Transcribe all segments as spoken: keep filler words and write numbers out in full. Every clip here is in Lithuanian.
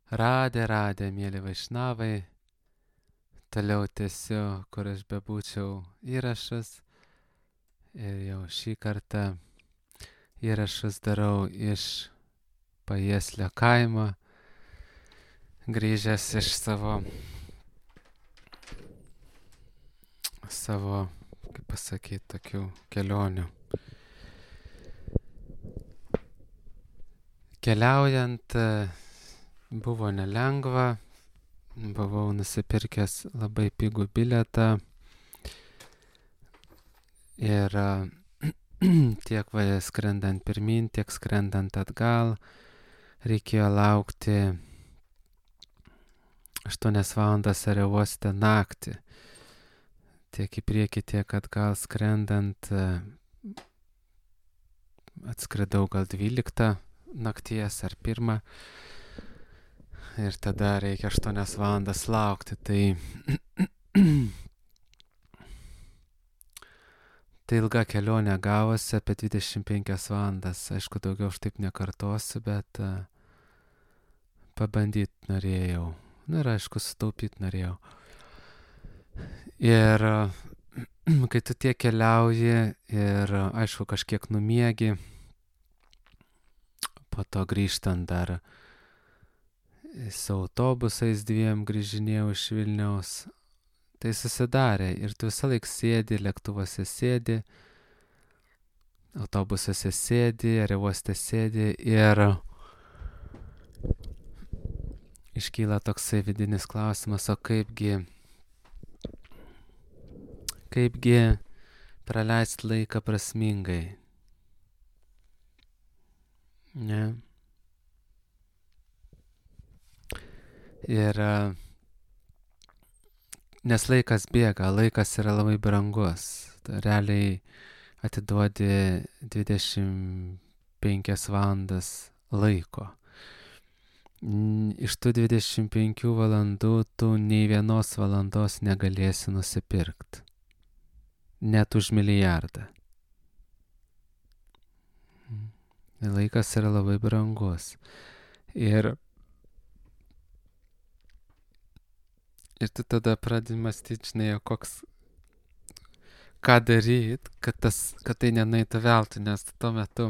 Radė, radė, mėly vaišnavai, toliau tęsiu, kur aš bebūčiau įrašus. Ir jau šį kartą įrašus darau iš Pajieslio kaimo, grįžęs iš savo, savo, kaip pasakyti, tokių kelionių. Keliaujant buvo nelengva, buvau nusipirkęs labai pigų bilietą ir tiek va skrendant pirmin, tiek skrendant atgal reikėjo laukti aštuonias valandas aerouoste naktį. Tiek į priekį, tiek atgal skrendant atskridau gal dvyliktą nakties ar pirmą. Ir tada reikia aštuonias valandas laukti. Tai, tai ilga kelionė gavosi apie dvidešimt penkias valandas. Aišku, daugiau aš taip nekartosiu, bet uh, pabandyti norėjau. Na ir aišku, sutaupyti norėjau. Ir uh, kai tu tiek keliauji ir uh, aišku, kažkiek numiegi, po to grįžtant dar su autobusais dviem grįžinėjau iš Vilniaus, tai susidarė ir tu visą laiką sėdi, lėktuvuose sėdi, autobusuose sėdi, aerouoste sėdi ir iškyla toksai vidinis klausimas, o kaipgi, kaipgi praleisti laiką prasmingai. Ne? Ir nes laikas bėga, laikas yra labai brangus. Realiai atiduodi dvidešimt penkias valandas laiko. Iš tų dvidešimt penkių valandų tu nei vienos valandos negalėsi nusipirkti. Net už milijardą. Laikas yra labai brangus. Ir Ir tu tada pradedi mąstyti, žinai, koks, ką daryti, kad, tas, kad tai nenaitų veltui, nes tuo metu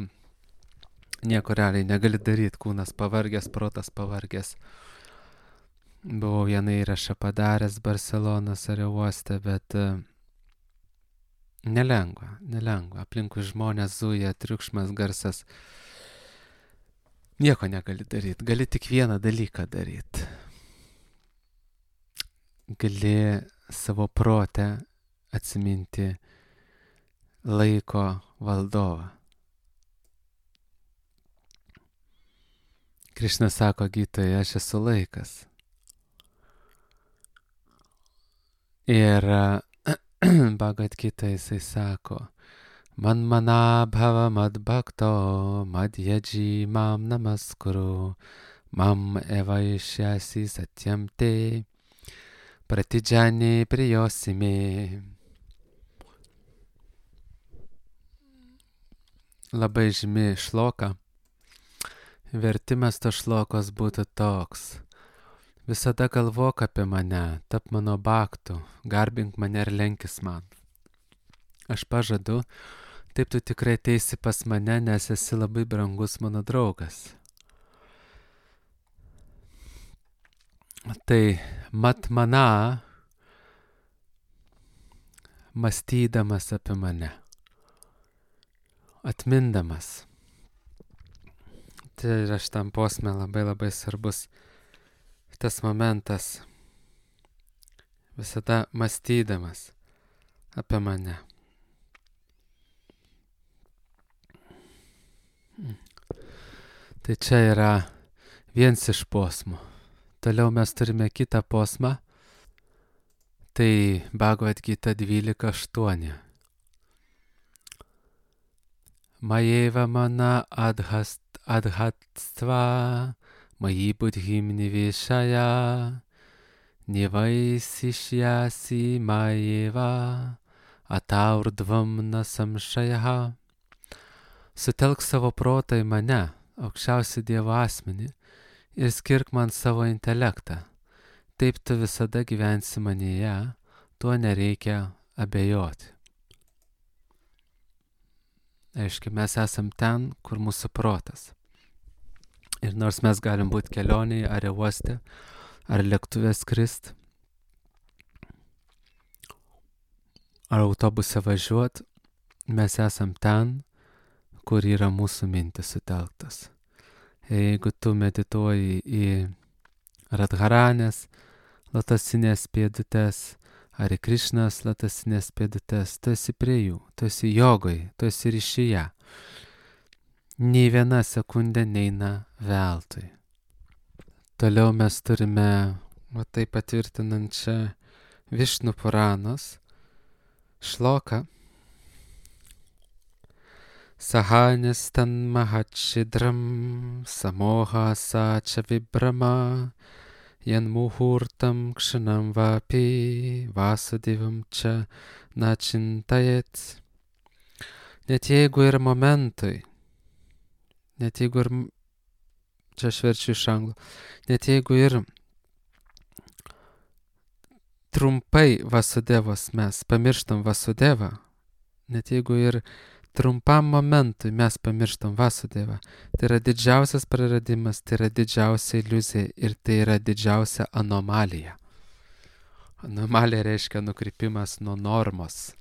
nieko realiai negali daryti, kūnas pavargęs, protas pavargęs. Buvau vieną įrašą padaręs Barcelonos aerouoste, bet uh, nelengva, nelengva. Aplinkui žmonės zuja, triukšmas, garsas. Nieko negali daryti, gali tik vieną dalyką daryti. Gali savo protę atsiminti laiko valdovą. Krišna sako Gytoje, aš esu laikas. Ir Bhagavad Gita jisai sako, man mana bhava mad bhakto mad yaji mam namaskuru mam evaishyasi satyam te pratidžani prijosimi. Labai žymi šloka. Vertimas to šlokos būtų toks. Visada galvok apie mane, tap mano bhaktu, garbink mane ir lenkis man. Aš pažadu, taip tu tikrai ateisi pas mane, nes esi labai brangus mano draugas. Tai mat mana, mąstydamas apie mane, atmindamas. Tai yra šitam posme labai labai svarbus tas momentas, visada mąstydamas apie mane. Tai čia yra vienas iš posmų. Toliau mes turime kitą posmą, tai Bhagavad Gita dvylika aštuoni. Majeva mana adhast, adhatstva, maji budhim nivishaya, nivaisishyasi majeva, ataurdvam nasamšajaha. Sutelk savo protą į mane, aukščiausią Dievo asmenį, ir skirk man savo intelektą. Taip tu visada gyvensi manyje, tuo nereikia abejoti. Aiškiai, mes esam ten, kur mūsų protas. Ir nors mes galim būti kelionėje, ar uoste, ar lėktuve skrist, ar autobuse važiuot, mes esam ten, kur yra mūsų mintis sutelktas. Ir jeigu tu medituoji į Radharanės lotosinės pėdutes, ar į Krišnos lotosinės pėdutes, tu esi prie jų, tu esi jogoj, tu esi ryšyje. Nei viena sekundė neina veltui. Toliau mes turime, va tai patvirtinančią Višnu Puranos šloką. Sahanis tan mahachidram samoha sača vibrama jan muhurtam kshanam vapi vasudevam čia načintajet. Net jeigu ir momentui, net jeigu ir, čia aš verčiu iš anglų, net jeigu ir trumpai Vasudevos mes pamirštam Vasudevą, net jeigu ir trumpam momentui mes pamirštam Vasudevą, tai yra didžiausias praradimas, tai yra didžiausia iliuzija ir tai yra didžiausia anomalija. Anomalija reiškia nukrypimas nuo normos.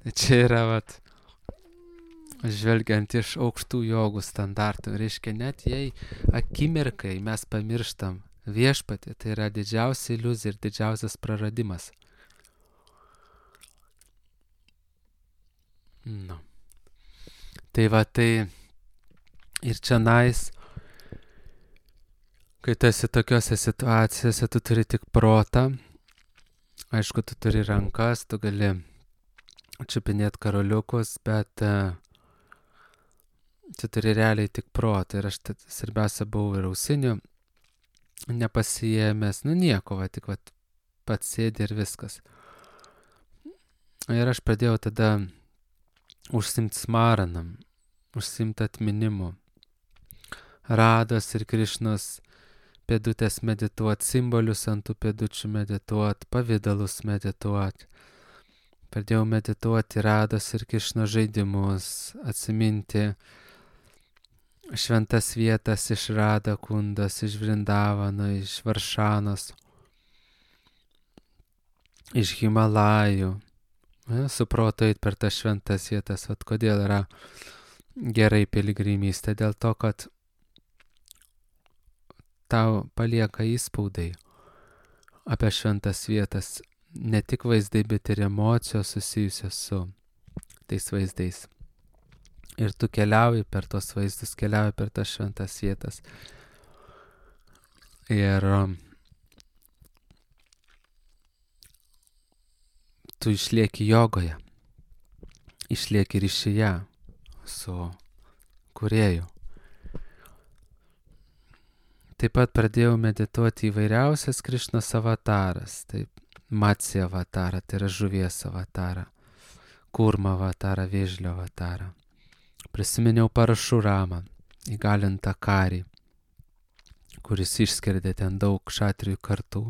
Tai čia yra, vat, žvelgiant iš aukštų jogų standartų, reiškia net jei akimirkai mes pamirštam viešpatį, tai yra didžiausia iliuzija ir didžiausias praradimas. Nu. Tai va, tai ir čionais, kai tu esi tokiose situacijose, tu turi tik protą, aišku, tu turi rankas, tu gali čiupinėti karoliukus, bet uh, tu turi realiai tik protą. Ir aš tad, svarbiausia buvau ir ausinių nepasijėmęs, nu nieko, va, tik va, pats sėdi ir viskas. Ir aš pradėjau tada užsimti smaranam, užsimti atminimu. Rados ir Krišnos pėdutės medituot, simbolius ant tų pėdučių medituot, pavidalus medituot. Pradėjau medituoti Rados ir Krišnos žaidimus, atsiminti šventas vietas iš Rada Kundos, iš Vrindavano, iš Varšanos, iš Himalajų. Ja, suproto eit per tas šventas vietas. Vat kodėl yra gerai piligrimystė? Dėl to, kad tau palieka įspaudai apie šventas vietas. Ne tik vaizdai, bet ir emocijos susijusios su tais vaizdais. Ir tu keliauji per tos vaizdus, keliauji per tas šventas vietas. Ir um, tu išlieki jogoje, išlieki ryšyje su kūrėju. Taip pat pradėjau medituoti įvairiausias Krišnos avataras, taip, Matsya avatarą, tai yra žuvies avatarą, Kurma avatarą, vėžlio avatarą. Prisiminiau Parašuramą, įgalintą karį, kuris išskerdė ten daug kšatrijų kartų,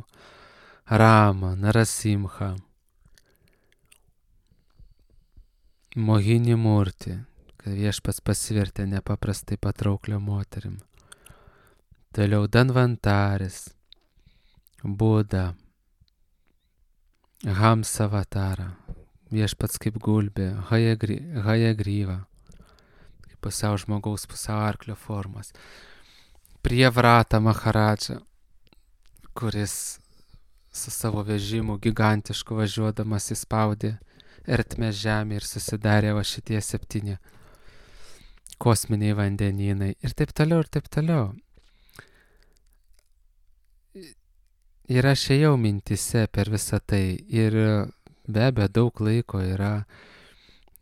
Ramą, Narasimhą, Mohini Murti, kad viešpats pasivertė nepaprastai patrauklio moterim. Toliau Danvantaris, Buda, Hamsa avatarą, viešpats kaip gulbė, Hayagryva, kaip pusiau žmogaus, pusiau arklio formas. Prievrata Maharadža, kuris su savo vežimu gigantišku važiuodamas įspaudė ertmę žemę ir susidarė va šitie septyni kosminiai vandenynai ir taip toliau ir taip toliau. Ir aš ėjau mintise per visą tai ir be abejo daug laiko yra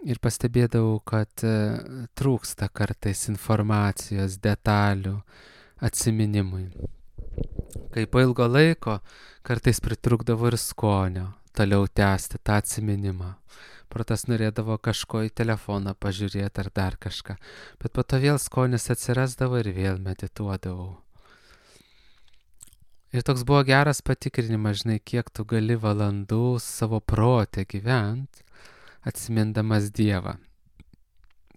ir pastebėdavau, kad trūksta kartais informacijos, detalių, atsiminimui. Kai po ilgo laiko kartais pritrūkdavo ir skonio toliau tęsti tą atsiminimą. protas norėdavo kažko į telefoną pažiūrėti ar dar kažką. Bet po to vėl skonis atsirasdavo ir vėl medituodavau. Ir toks buvo geras patikrinimas, žinai, kiek tu gali valandų savo protę gyvent, atsimindamas Dievą.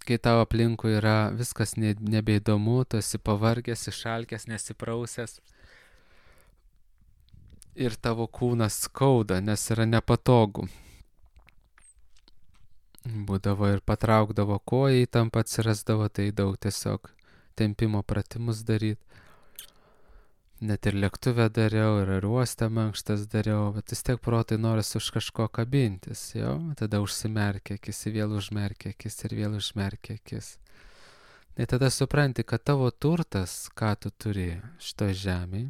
Kai tavo aplinkui yra viskas ne, nebeįdomu, tu esi pavargęs, išalkęs, nesiprausęs. Ir tavo kūnas skauda, nes yra nepatogu. Būdavo ir patraukdavo koją, įtampa atsirasdavo, tai daug tiesiog tempimo pratimus daryti. Net ir lėktuvę dariau, ir aerouoste mankštas dariau, bet vis tiek protai noris už kažko kabintis, jo, tada užsimerkia akis, vėl užmerkia akis ir vėl užmerkia akis. Ir tada supranti, kad tavo turtas, ką tu turi šitoj žemėj,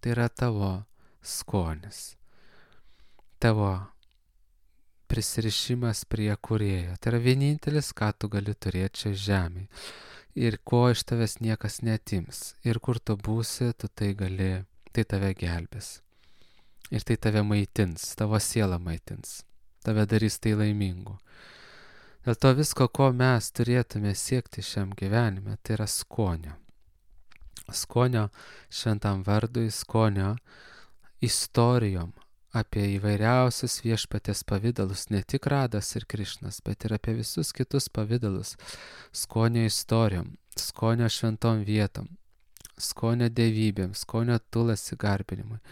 tai yra tavo skonis, tavo prisirišimas prie Kūrėjo. Tai yra vienintelis, ką tu gali turėti čia žemėj. Ir ko iš tavęs niekas netims. Ir kur tu būsi, tu tai gali, tai tave gelbės. Ir tai tave maitins, tavo sielą maitins. Tave darys tai laimingu. Dėl to visko, ko mes turėtume siekti šiam gyvenime, tai yra skonio. Skonio šventam vardui, skonio istorijom apie įvairiausius viešpaties pavidalus, ne tik Radas ir Krišnas, bet ir apie visus kitus pavidalus, skonio istorijom, skonio šventom vietom, skonio dievybėm, skonio tulasi garbinimui,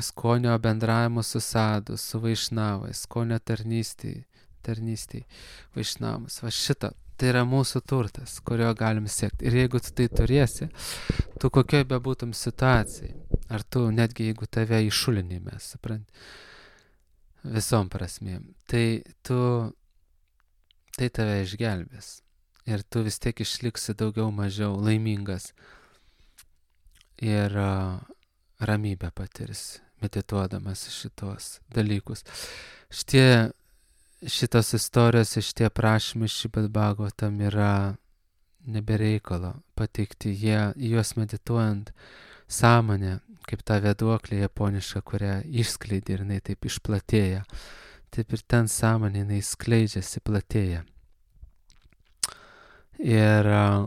skonio bendravimu su sadu, su vaišnavais, skonio tarnystėj, tarnystėj, vaišnavus. Va šitą, tai yra mūsų turtas, kurio galim siekti. Ir jeigu tu tai turėsi, tu kokioj bebūtum situacijai, ar tu netgi jeigu tave išulinime, supranti, visom prasmėm, tai tu, tai tave išgelbės. Ir tu vis tiek išliksi daugiau mažiau laimingas ir uh, ramybę patirsi, medituodamas šitos dalykus. Šitie, šitos istorijos, šitie prašymai Šrimad Bhagavatam yra nebereikalo pateikti. Jie, juos medituojant sąmonę, kaip ta vėduoklė japoniška, kurią išskleidė ir jinai taip išplatėja. Taip ir ten sąmonė jinai skleidžiasi, platėja. Ir uh,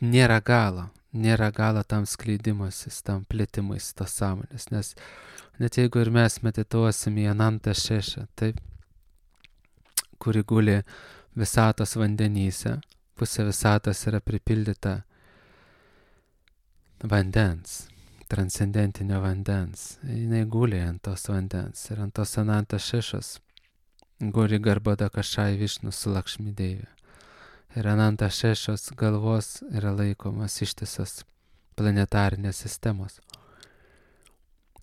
nėra galo, nėra galo tam skleidimasis, tam plėtimais tos sąmonės, nes net jeigu ir mes medituosim į Ananta Šešą, taip, kuri guli visatos vandenyse, pusė visatos yra pripildyta vandens, transcendentinio vandens, jinai guli ant tos vandens ir ant tos Ananta Šešos guli Garbhoda Kašai Višnu su Lakšmi Deive. Ir Ananta Šešos galvos yra laikomas ištisas planetarinės sistemos.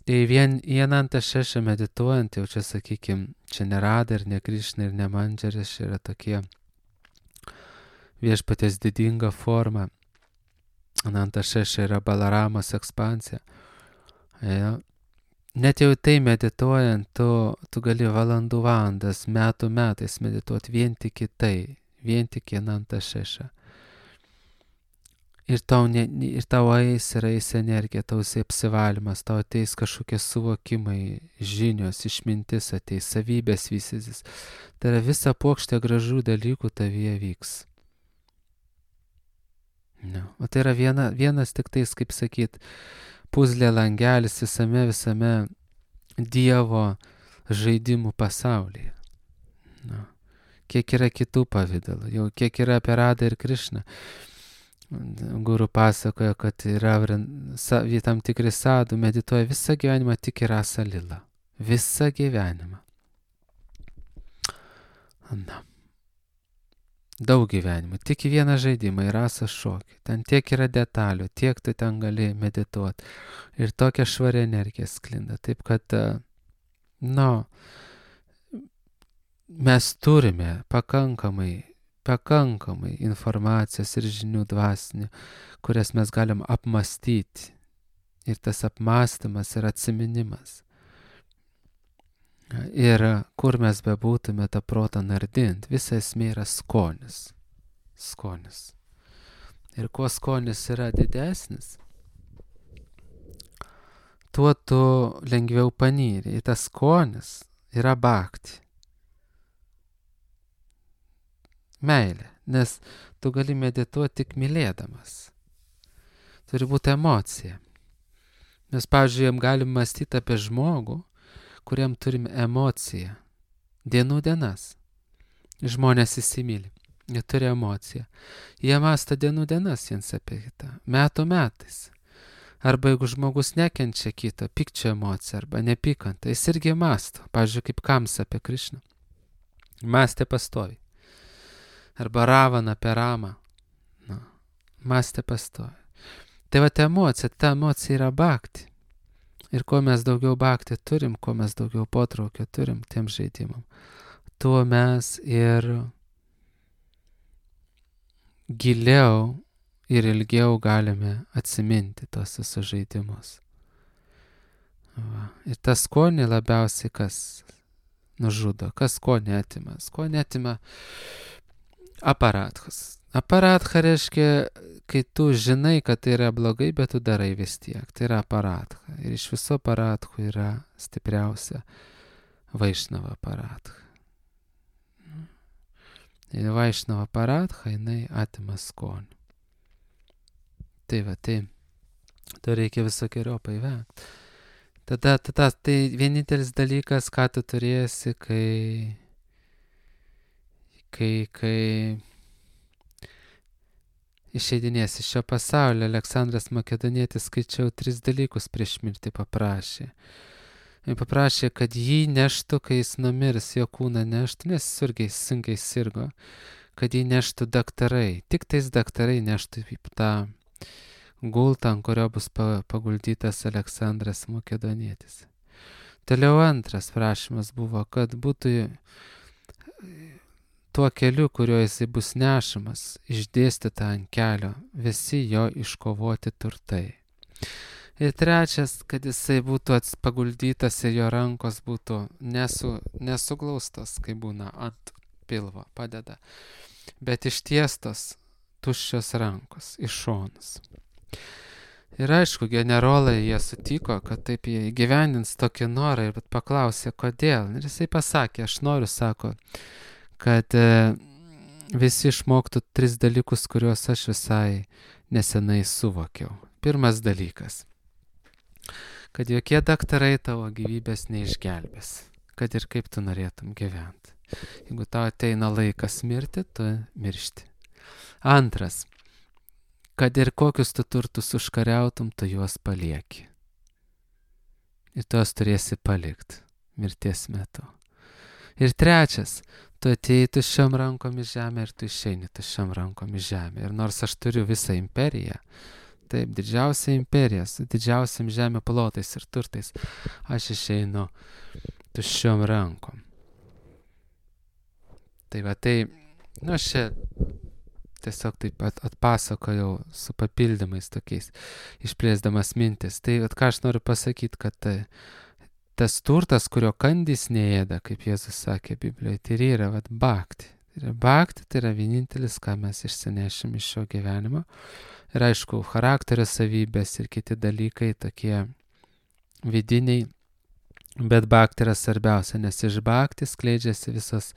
Tai vien į Ananta Šešą medituojant, jau čia sakykim, čia ne Rada ir ne Krišna ir ne Mandžaris, yra tokie viešpaties didinga forma. Ananta Šeša yra Balaramos ekspansija. Ja. Net jau tai medituojant, tu, tu gali valandų valandas, metų metais medituoti vien tik į tai, vien tik į Ananta Šešą. Ir tau, ne, ir tau eis ir eis energija, tau eis apsivalymas, tau ateis kažkokie suvokimai, žinios, išmintis ateis, savybės vystysis. Tai yra visa puokštė gražių dalykų tavyje vyks. No. O tai yra viena, vienas tik tais, kaip sakyt, puzlė langelis visame, visame Dievo žaidimų pasaulyje. No. Kiek yra kitų pavydalų, jau kiek yra apie Radą ir Krišną. Guru pasakoja, kad yra tam tikri sadų, medituoja visą gyvenimą tik į Rasa Lila. Visą gyvenimą. Na. Daug gyvenimų, tik į vieną žaidimą, į Rasa šokį. Ten tiek yra detalių, tiek tu ten gali medituoti. Ir tokia švari energija sklinda. Taip kad, nu, mes turime pakankamai, pakankamai informacijos ir žinių dvasinių, kurias mes galim apmastyti. Ir tas apmastymas ir atsiminimas. Ir kur mes bebūtume tą protą nardint, visa esmė yra skonis. Skonis. Ir kuo skonis yra didesnis, tuo tu lengviau panyri. Ir tas skonis yra bhakti. Meilė. Nes tu gali medituoti tik mylėdamas. Turi būti emocija. Mes, pavyzdžiui, galim mąstyti apie žmogų, kuriam turim emociją. Dienų dienas. Žmonės įsimyli. Jie turi emociją. Jie mąsto dienų dienas viens apie kitą. Metų metais. Arba jeigu žmogus nekenčia kito, pykčio emociją arba nepykantą, jis irgi mąsto. Pavyzdžiui, kaip Kamsa apie Krišną. Mąstė pastovi. Arba Ravana apie Ramą. Nu, mąstė pastovi. Tai va ta emocija, ta emocija yra bhakti. Ir kuo mes daugiau bhakti turim, kuo mes daugiau potraukio turim tiem žaidimam, tuo mes ir giliau ir ilgiau galime atsiminti tos visus žaidimus. Va. Ir tas skonį labiausiai kas nužudo, kas skonį atima. Skonį atima aparatchas. Aparatcha reiškia, kai tu žinai, kad tai yra blogai, bet tu darai vis tiek. Tai yra aparatcha. Ir iš viso aparatchų yra stipriausia Vaišnava aparatcha. Ir Vaišnava aparatcha, jinai atima skonį. Tai va, tai to reikia visokiojopai vengti. Tada, tada, tai vienintelis dalykas, ką tu turėsi, kai, kai, kai išeidinės iš šio pasaulio. Aleksandras Makedonietis, skaičiau, tris dalykus prieš mirtį paprašė. Ir paprašė, kad jį neštų, kai jis numirs, jo kūną neštų, nes surgiai sunkiai sirgo, kad jį neštų daktarai. Tik tais daktarai neštų tą gultą, ant kurio bus paguldytas Aleksandras Makedonietis. Toliau antras prašymas buvo, kad būtų tuo keliu, kuriuo jisai bus nešamas, išdėstyta ant kelio visi jo iškovoti turtai. Ir trečias, kad jisai būtų paguldytas ir jo rankos būtų nesu, nesuglaustos, kai būna ant pilvo padeda, bet ištiestos tuščios rankos iš šonus. Ir aišku, generolai jie sutiko, kad taip jie įgyvendins tokį norą, ir paklausė, kodėl. Ir jisai pasakė, aš noriu, sako, kad e, visi išmoktų tris dalykus, kuriuos aš visai nesenai suvokiau. Pirmas dalykas, kad jokie daktarai tavo gyvybės neišgelbės, kad ir kaip tu norėtum gyventi. Jeigu tau ateina laikas mirti, tu miršti. Antras, kad ir kokius tu turtus užkariautum, tu juos palieki. Ir tu juos turėsi palikti mirties metu. Ir trečias, tu atėjai tuščiom rankom į žemę ir tu išeini tuščiom rankom į žemę. Ir nors aš turiu visą imperiją, taip, didžiausia imperija, su didžiausiam žemė plotais ir turtais, aš išeinu tuščiom rankom. Tai va, tai, nu aš čia tiesiog taip at, atpasakojau su papildymais tokiais, išplėsdamas mintis. Tai at, ką aš noriu pasakyti, kad tai, tas turtas, kurio kandys neėda, kaip Jėzus sakė Biblijoje, tai yra vat, bhakti. Tai yra bhakti, tai yra vienintelis, ką mes išsinešim iš šio gyvenimo. Ir aišku, charakterio savybės ir kiti dalykai tokie vidiniai, bet bhakti yra svarbiausia, nes iš bhakti skleidžiasi visos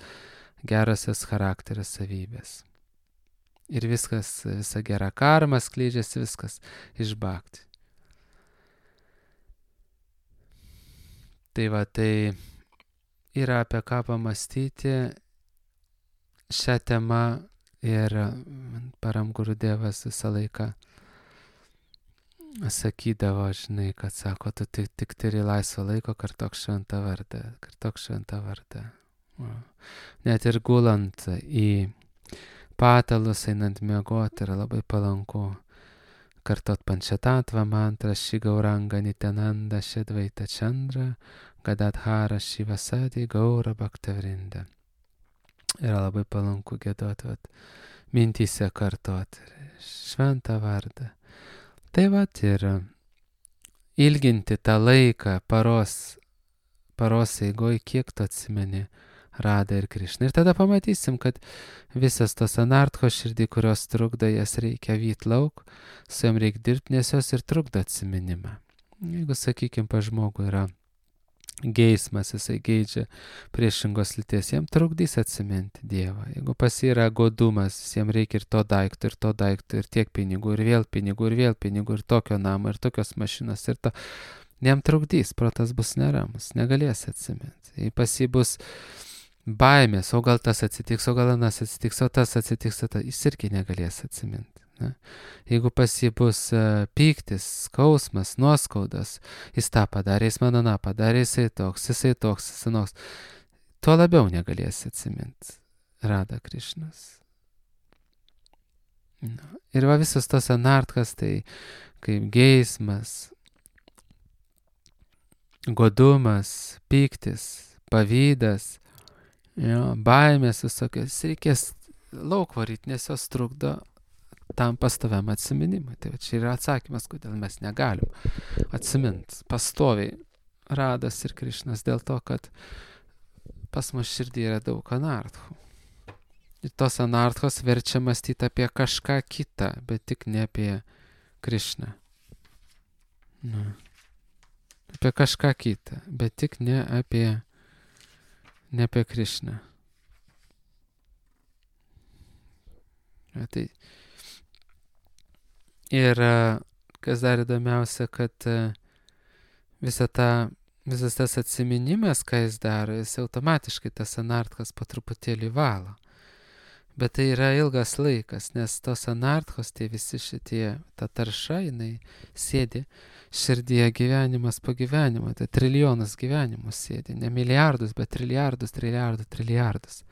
gerosios charakterio savybės. Ir viskas, visa gera karma skleidžiasi viskas iš bhakti. Tai va, tai yra apie ką pamastyti šią temą ir Param Gurudevas visą laiką sakydavo, žinai, kad sako, tu tik, tik turi laisvo laiko, kartok šventą vardą, kartok šventą vardą. Net ir gulant į patalus, einant miegoti, yra labai palanku kartot pančatatvą mantrą, Šigauranga Nityananda Šedvaita Čandra, Gadadhara Šivasadi Gaura Bhaktavrinda. Yra labai palanku giedoti, vat, mintyse kartoti šventą vardą. Tai vat ir ilginti tą laiką paros, paros eigoj, kiek tu atsimeni Radą ir Krišną. Ir tada pamatysim, kad visas tos anartchos širdį, kurios trukdo, jas reikia vyt lauk, su jom reikia dirbti, nes jos ir trukdo atsiminimą. Jeigu, sakykime, pa žmogų yra geismas, jisai geidžia priešingos lyties, jam trukdys atsiminti Dievą. Jeigu pas jį yra godumas, jam reikia ir to daikto, ir to daikto, ir tiek pinigų, ir vėl pinigų, ir vėl pinigų, ir tokio namo, ir tokios mašinos, ir to, jam trukdys, protas bus neramus, negalės atsiminti. Jei pas jį bus baimės, o gal tas atsitiks, o gal anas atsitiks, o tas atsitiks, o tas, jis irgi negalės atsiminti. Ne? Jeigu pas jį bus uh, pyktis, skausmas, nuoskaudas, jis tą padarė, jis man aną padarė, jisai toks, jisai toks, jisai toks, tuo labiau negalės atsiminti Rada Krišnas. Na. Ir va visos tos anartkas, tai kaip geismas, godumas, pyktis, pavydas, jo, baimės visokios, reikės lauk varyti, nes jos trukdo tam pastoviam atsiminimui. Tai čia yra atsakymas, kodėl mes negalim atsiminti pastoviai Radas ir Krišnas, dėl to, kad pas mus širdį yra daug anarthų. Ir tos anarthos verčia mąstyti apie kažką kitą, bet tik ne apie Krišną. Na. Apie kažką kitą, bet tik ne apie, ne apie Krišną. Ja, tai ir kas dar įdomiausia, kad visa ta, visas tas atsiminimas, ką jis daro, jis automatiškai tas anartkas po truputėlį valo. Bet tai yra ilgas laikas, nes tos anartkos, tie visi šitie, ta tarša, jinai sėdi širdyje gyvenimas po gyvenimo, tai trilijonas gyvenimų sėdi, ne milijardus, bet trilijardus, trilijardus, trilijardus.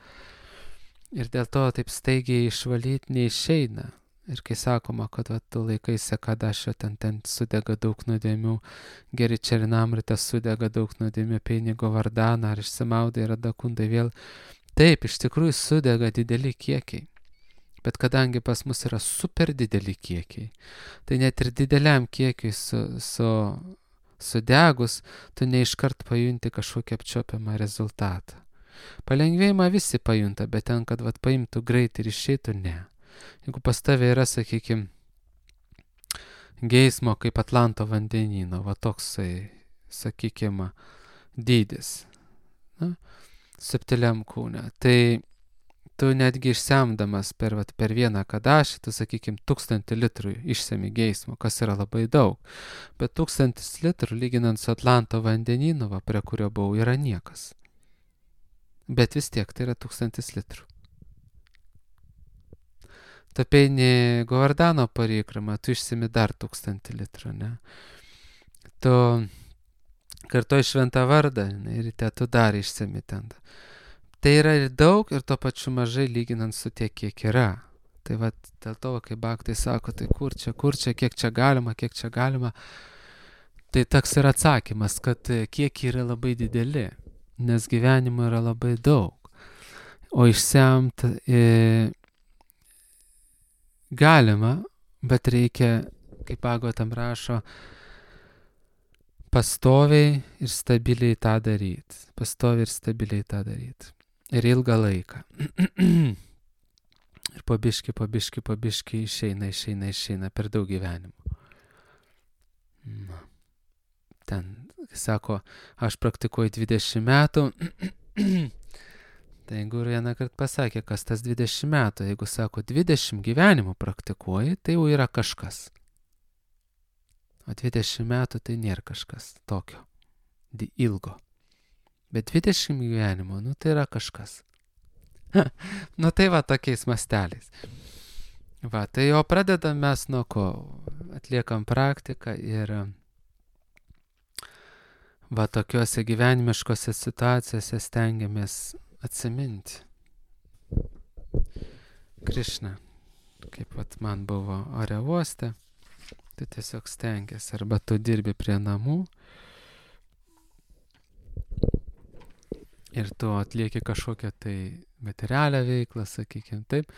Ir dėl to taip staigiai išvalyti neišeina. Ir kai sakoma, kad va, tu laikaisi Kadašio, ten, ten sudega daug nuodėmių, geri Čerinamrita sudega daug nuodėmių, Peinigo Vardaną, ar išsimaudai, Radakundai vėl. Taip, iš tikrųjų sudega dideli kiekiai. Bet kadangi pas mus yra super dideli kiekiai, tai net ir dideliam kiekiui su, su, sudegus, tu neiškart pajunti kažkokį apčiopiamą rezultatą. Palengvėjimą visi pajunta, bet ten, kad vat, paimtų greitai ir išeitų, ne. Jeigu pas tave yra, sakykime, geismo kaip Atlanto vandenyno, va toksai, sakykime, dydis, na, subtiliam kūne, tai tu netgi išsemdamas per, vat, per vieną Kadašį, tu, sakykime, tūkstantį litrų išsemi geismo, kas yra labai daug, bet tūkstantis litrų, lyginant su Atlanto vandenynu, va, prie kurio buvau, yra niekas. Bet vis tiek tai yra tūkstantis litrų. Tu peini Govardano parikramą, tu išsimi dar tūkstantį litrų, ne? Tu kartuoji šventą vardą, ne? Ir te tu dar išsimi ten. Tai yra ir daug, ir to pačiu mažai lyginant su tiek, kiek yra. Tai va, dėl to, kai baktai sako, tai kur čia, kur čia, kiek čia galima, kiek čia galima. Tai toks yra atsakymas, kad kiek yra labai dideli, nes gyvenimo yra labai daug. O išsemt e, galima, bet reikia, kaip Bhagavatam rašo, pastoviai ir stabiliai tą daryti. Pastoviai ir stabiliai tą daryti. Ir ilgą laiką. Ir po biškį, po biškį, po biškį išeina, išeina, išeina per daug gyvenimų. Na. Ten, sako, aš praktikuoju dvidešimt metų. Tai jeigu vieną kartą pasakė, kas tas dvidešimt metų, jeigu sako dvidešimt gyvenimų praktikuoji, tai jau yra kažkas. O dvidešimt metų tai nėra kažkas tokio, ilgo. Bet dvidešimt gyvenimų, nu tai yra kažkas. Nu tai va tokiais masteliais. Va, tai o pradedam mes nuo ko? Atliekam praktiką ir va tokiuose gyvenimiškose situacijose stengiamės atsiminti Krišną. Kaip vat man buvo ore uoste, tu tiesiog stengiasi, arba tu dirbi prie namų ir tu atlieki kažkokią tai materialią veiklą, sakykime taip,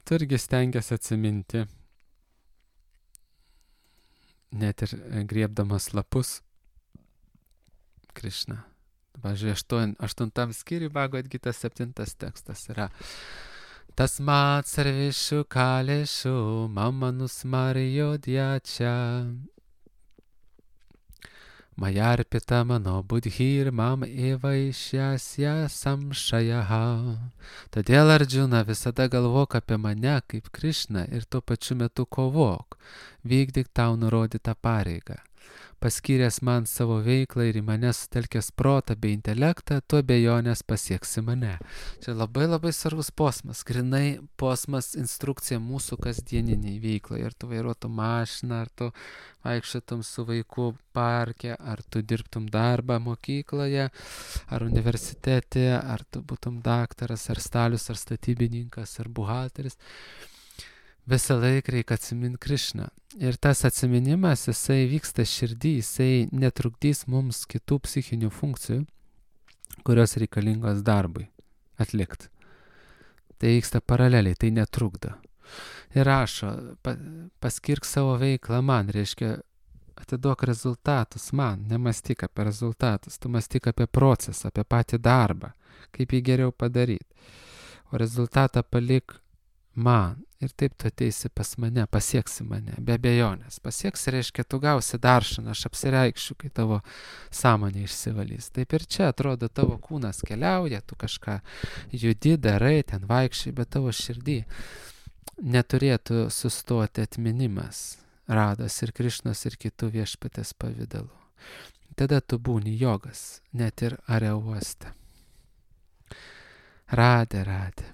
tu irgi stengiasi atsiminti, net ir griebdamas lapus Krišną. Pavyzdžiui, aštuntam skyriui Bhagavad Gita septintas tekstas yra Tasmat sarveshu kaleshu mama nusmaryo dyacha Mayarpita mano budhir mam evaishyasya samshayaha. Todėl, Arjuna, visada galvok apie mane kaip Krišną ir tuo pačiu metu kovok, vykdyk tau nurodytą pareigą. Paskyręs man savo veiklą ir į mane sutelkęs protą bei intelektą, tu abejonės pasieksi mane. Čia labai labai svarbus posmas, grinai posmas instrukcija mūsų kasdieniniai veiklai. Ar tu vairuotum mašiną, ar tu vaikščiotum su vaiku parke, ar tu dirbtum darbą mokykloje, ar universitete, ar tu būtum daktaras, ar stalius, ar statybininkas, ar buhalteris. Visą laiką reikia atsiminti Krišną. Ir tas atsiminimas, jisai vyksta širdį, jisai netrukdys mums kitų psichinių funkcijų, kurios reikalingos darbui atlikti. Tai vyksta paraleliai, tai netrukdo. Ir rašo, pa, paskirk savo veiklą man, reiškia, atiduok rezultatus man, nemastyk apie rezultatus, tu mastyk apie procesą, apie patį darbą, kaip jį geriau padaryti. O rezultatą palik man. Ir taip tu ateisi pas mane, pasieksi mane, be abejonės. Pasieksi reiškia, tu gausi daršaną, aš apsireikšiu, kai tavo sąmonė išsivalys. Taip ir čia atrodo, tavo kūnas keliauja, tu kažką judi, darai, ten vaikščiai, bet tavo širdį neturėtų sustoti atminimas, Rados ir Krišnos ir kitų viešpatės pavidalų. Tada tu būni jogas, net ir areouoste. Radė, radė.